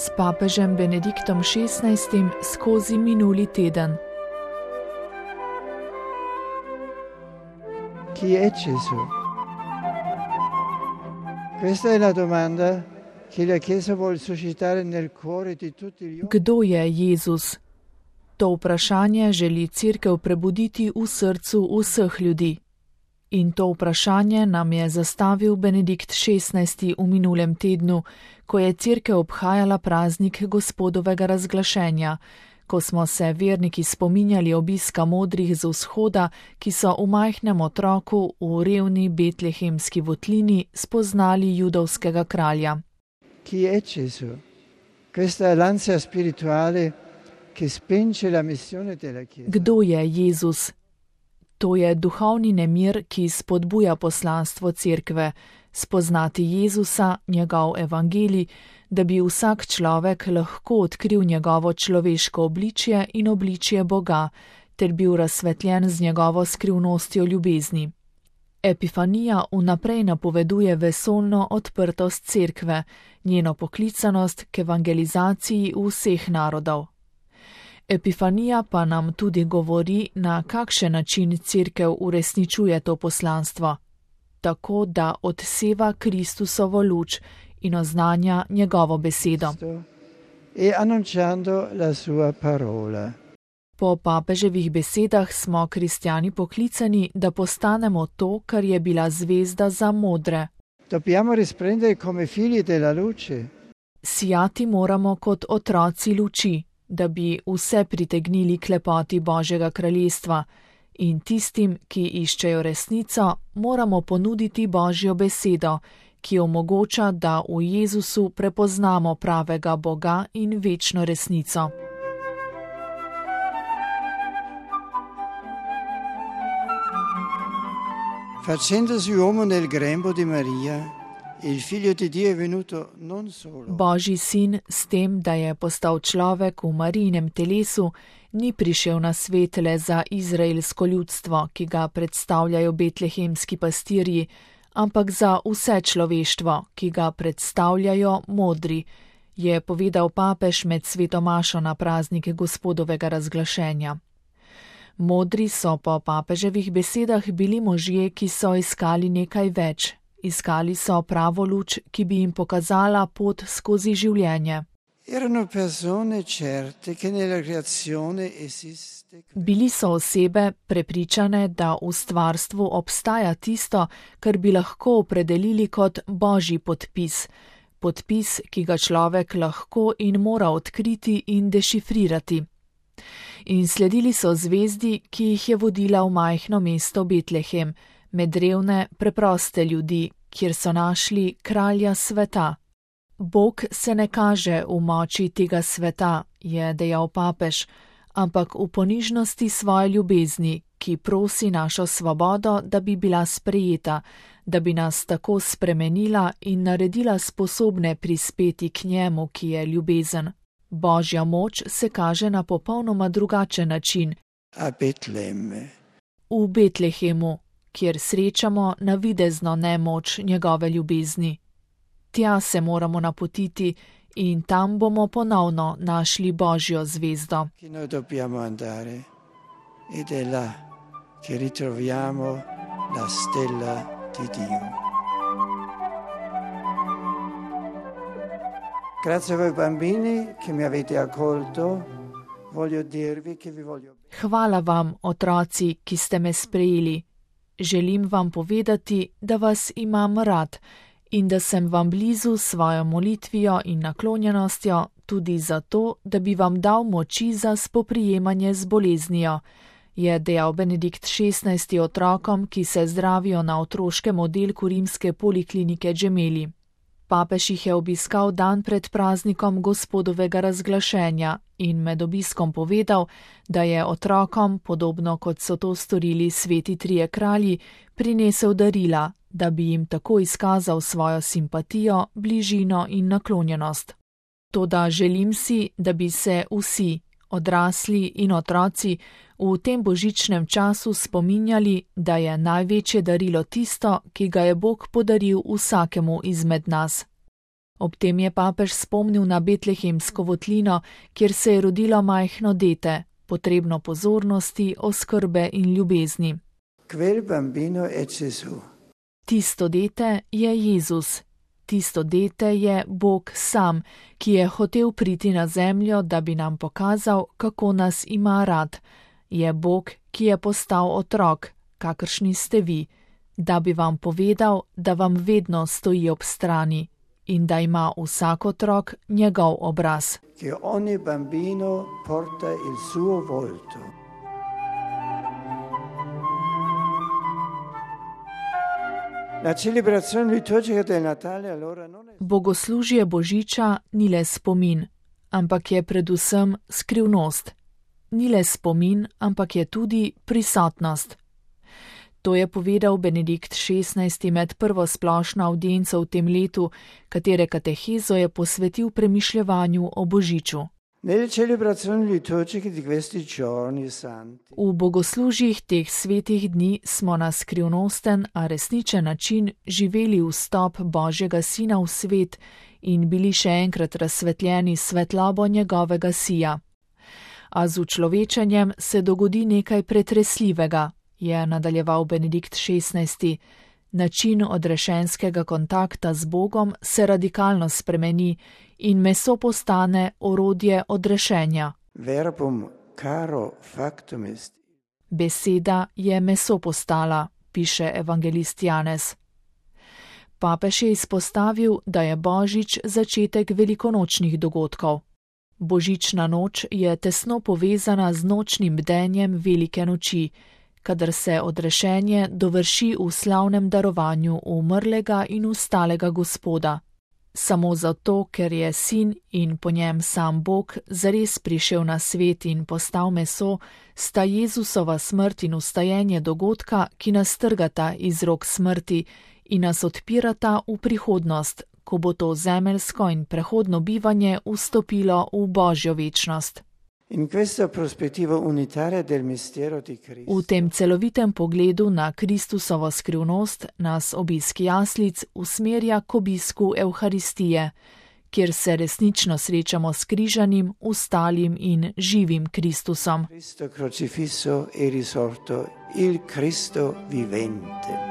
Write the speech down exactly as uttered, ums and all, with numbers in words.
s papežem Benediktom šestnajstim skozi minuli teden. Chi è Gesù? Questa è la domanda che la Chiesa vuole suscitare nel cuore di tutti gli uomini. Kdo je Jezus? To vprašanje želi Cerkev prebuditi v srcu vseh ljudi. In to vprašanje nam je zastavil Benedikt šestnajsti v minulem tednu, ko je Cerkev obhajala praznik Gospodovega razglašenja, ko smo se verniki spominjali obiska modrih z vzhoda, ki so v majhnem otroku v revni betlehemski votlini spoznali judovskega kralja. Chi è Gesù? Questa è l'ansia spirituale che spinge la missione della Chiesa. Kdo je Jezus? To je duhovni nemir, ki spodbuja poslanstvo Cerkve, spoznati Jezusa, njegov evangelij, da bi vsak človek lahko odkril njegovo človeško obličje in obličje Boga, ter bil razsvetljen z njegovo skrivnostjo ljubezni. Epifanija vnaprej napoveduje vesoljno odprtost Cerkve, njeno poklicanost k evangelizaciji vseh narodov. Epifanija pa nam tudi govori, na kakšen način Cerkev uresničuje to poslanstvo, tako da odseva Kristusovo luč in oznanja njegovo besedo. E annunciando la sua parola. Po papeževih besedah smo kristjani poklicani, da postanemo to, kar je bila zvezda za modre. Dobbiamo risplendere come figli della luce. Sijati moramo kot otroci luči, da bi vse pritegnili k lepoti Božjega kraljestva, in tistim, ki iščejo resnico, moramo ponuditi Božjo besedo, ki omogoča, da v Jezusu prepoznamo pravega Boga in večno resnico. Facendosi uomo nel grembo di Maria, il figlio di Dio è venuto non solo. Božji sin s tem, da je postal človek v Marijinem telesu, ni prišel na svet le za izraelsko ljudstvo, ki ga predstavljajo betlehemski pastirji, ampak za vse človeštvo, ki ga predstavljajo modri, je povedal papež med sveto mašo na praznik Gospodovega razglašenja. Modri so po papeževih besedah bili možje, ki so iskali nekaj več. Iskali so pravo luč, ki bi jim pokazala pot skozi življenje. Erano persone certe che nella creazione esiste. Bili so osebe prepričane, da v stvarstvu obstaja tisto, kar bi lahko opredelili kot Božji podpis. Podpis, ki ga človek lahko in mora odkriti in dešifrirati. In sledili so zvezdi, ki jih je vodila v majhno mesto Betlehem, med revne, preproste ljudi, kjer so našli kralja sveta. Bog se ne kaže v moči tega sveta, je dejal papež, ampak v ponižnosti svoje ljubezni, ki prosi našo svobodo, da bi bila sprejeta, da bi nas tako spremenila in naredila sposobne prispeti k njemu, ki je ljubezen. Božja moč se kaže na popolnoma drugačen način. A Betlehemu. V Betlehemu, kjer srečamo navidezno nemoč njegove ljubezni. Tja se moramo napotiti in tam bomo ponovno našli Božjo zvezdo. Che noi dobbiamo andare ed è là che ritroviamo la stella di Dio. Grazie a voi bambini che mi avete accolto. Voglio dirvi che vi voglio. Hvala vam, otroci, ki ste me sprejeli. Želim vam povedati, da vas imam rad in da sem vam blizu s svojo molitvijo in naklonjenostjo tudi zato, da bi vam dal moči za spoprijemanje z boleznijo, je dejal Benedikt šestnajsti otrokom, ki se zdravijo na otroškem oddelku rimske poliklinike Gemelli. Papež jih je obiskal dan pred praznikom Gospodovega razglašenja in med obiskom povedal, da je otrokom, podobno kot so to storili sveti trije kralji, prinesel darila, da bi jim tako izkazal svojo simpatijo, bližino in naklonjenost. Toda želim si, da bi se vsi, odrasli in otroci, v tem božičnem času spominjali, da je največje darilo tisto, ki ga je Bog podaril vsakemu izmed nas. Ob tem je papež spomnil na betlehemsko votlino, kjer se je rodilo majhno dete, potrebno pozornosti, oskrbe in ljubezni. Quel bambino è Gesù. Tisto dete je Jezus. Tisto dete je Bog sam, ki je hotel priti na zemljo, da bi nam pokazal, kako nas ima rad. Je Bog, ki je postal otrok, kakršni ste vi, da bi vam povedal, da vam vedno stoji ob strani in da ima vsak otrok njegov obraz. Che ogni bambino porta il suo volto. La celebrazione liturgica del Natale allora non è... Bogoslužje Božiča ni le spomin, ampak je predvsem skrivnost. Ni le spomin, ampak je tudi prisotnost. To je povedal Benedikt šestnajsti med prvo splošno avdienco v tem letu, katere katehezo je posvetil premišljevanju o Božiču. Nelle celebrazioni liturgiche di questi giorni santi. V bogoslužjih teh svetih dni smo na skrivnosten, a resničen način živeli vstop Božjega Sina v svet in bili še enkrat razsvetljeni s svetlobo njegovega sija. A z učlovečenjem se dogodi nekaj pretresljivega, je nadaljeval Benedikt šestnajsti. Način odrešenskega kontakta z Bogom se radikalno spremeni in meso postane orodje odrešenja. Verbum caro factum est. Beseda je meso postala, piše evangelist Janez. Papež je izpostavil, da je Božič začetek velikonočnih dogodkov. Božična noč je tesno povezana z nočnim bdenjem velike noči, kadar se odrešenje dovrši v slavnem darovanju umrlega in vstalega Gospoda. Samo zato, ker je sin in po njem sam Bog zares prišel na svet in postal meso, sta Jezusova smrt in vstajenje dogodka, ki nas trgata iz rok smrti in nas odpirata v prihodnost, ko bo to zemeljsko in prehodno bivanje vstopilo v Božjo večnost. In questa prospettiva unitaria del mistero di Cristo. V tem celovitem pogledu na Kristusovo skrivnost nas obisk jaslic usmerja k obisku Evharistije, kjer se resnično srečamo s križanim, vstalim in živim Kristusom. Cristo crocifisso e risorto, il Cristo vivente.